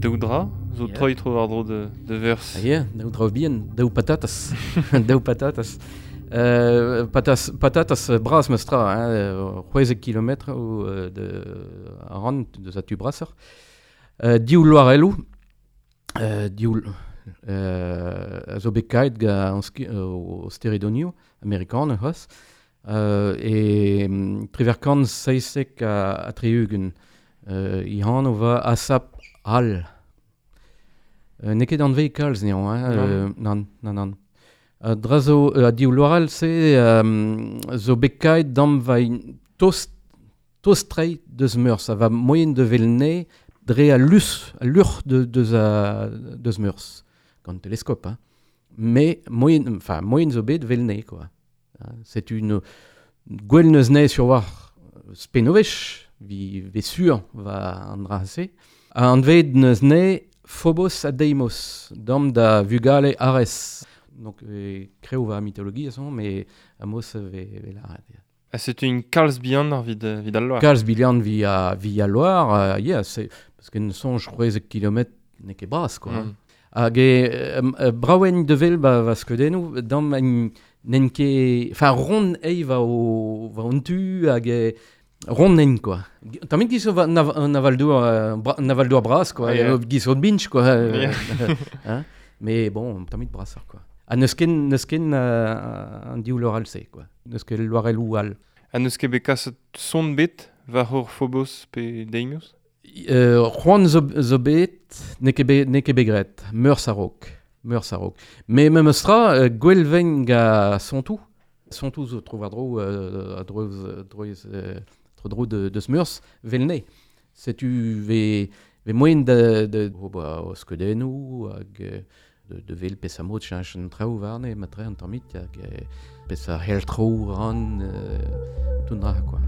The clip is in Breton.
Daou dra zo Yeah. troi tro war dro de, de vers. Ah, yeah, daou dra bihan, daou patatas. Daou patatas. Patas, patatas bras meus tra, hein, 16 kilometr ou de a ran deus a tu brasser. Div loarelloù, div a zo bet kaet ga an o steredonioù amerikan c'hoazh. E triverkant seizek a tri-ugent. I hanv va asap al. N'eo ket anvez kalz neon, hein, Nann. nann, nann, nann. Dra zo, div loarell se zo bet kaet dam va in tost, tost trei deus meurs, a va moyen de vel ne dre a lus, a luc'h de, deus a, deus meurs, gant teleskop, hein. Mais moyen, enfin, moyen zo bet vel ne, quoi. Hein, c'est une gwell neus ne sur war spenovech, vi ve sur va an dra se. An ved neus ne Phobos ha Deimos, dam da vugale Ares. Donc, kreo va mythologie, son, mais amos ve, ve la ya. Ha setu un kalz bihan ar vid, vid al loar. Kalz bihan via, via loar, yeah, c'est, parce que ne sonj 16 kilomètres n'eo ket bras, quoi. Hag e braouen de vel ba va skeudennoù, dam en n'en ket, enfin, rond ei va o, va on tu, hag e rond en, quoi. Tamit giz va un aval-douar, un aval-douar bras, quoi. Ah, yeah. Giz o binch, quoi. Yeah. Hein? Mais bon, tamit brasser, quoi. Ha n'eus ken, n'eus ken, an div loarell se, quoi. N'eus ket loarell ou all. Ha n'eus ket bet kaset son bet war hor Phobos pe Deimos? C'hoant zo, zo bet, n'eo ket bet, n'eo ket bet graet, meurs a-raok, meurs a-raok. Mais memes tra, gwell ven ga sontoù. Sontoù zo tro war-dro, a droez, droez, tro dro de, deus meurs, vel ne. Setu ve, ve moyen de, de, oh, ba, o skeudennoù hag, de, de vel pes a mod cheñch an traoù warne, matre an tammit, hag, pes a hell tro ran, tout dra, quoi.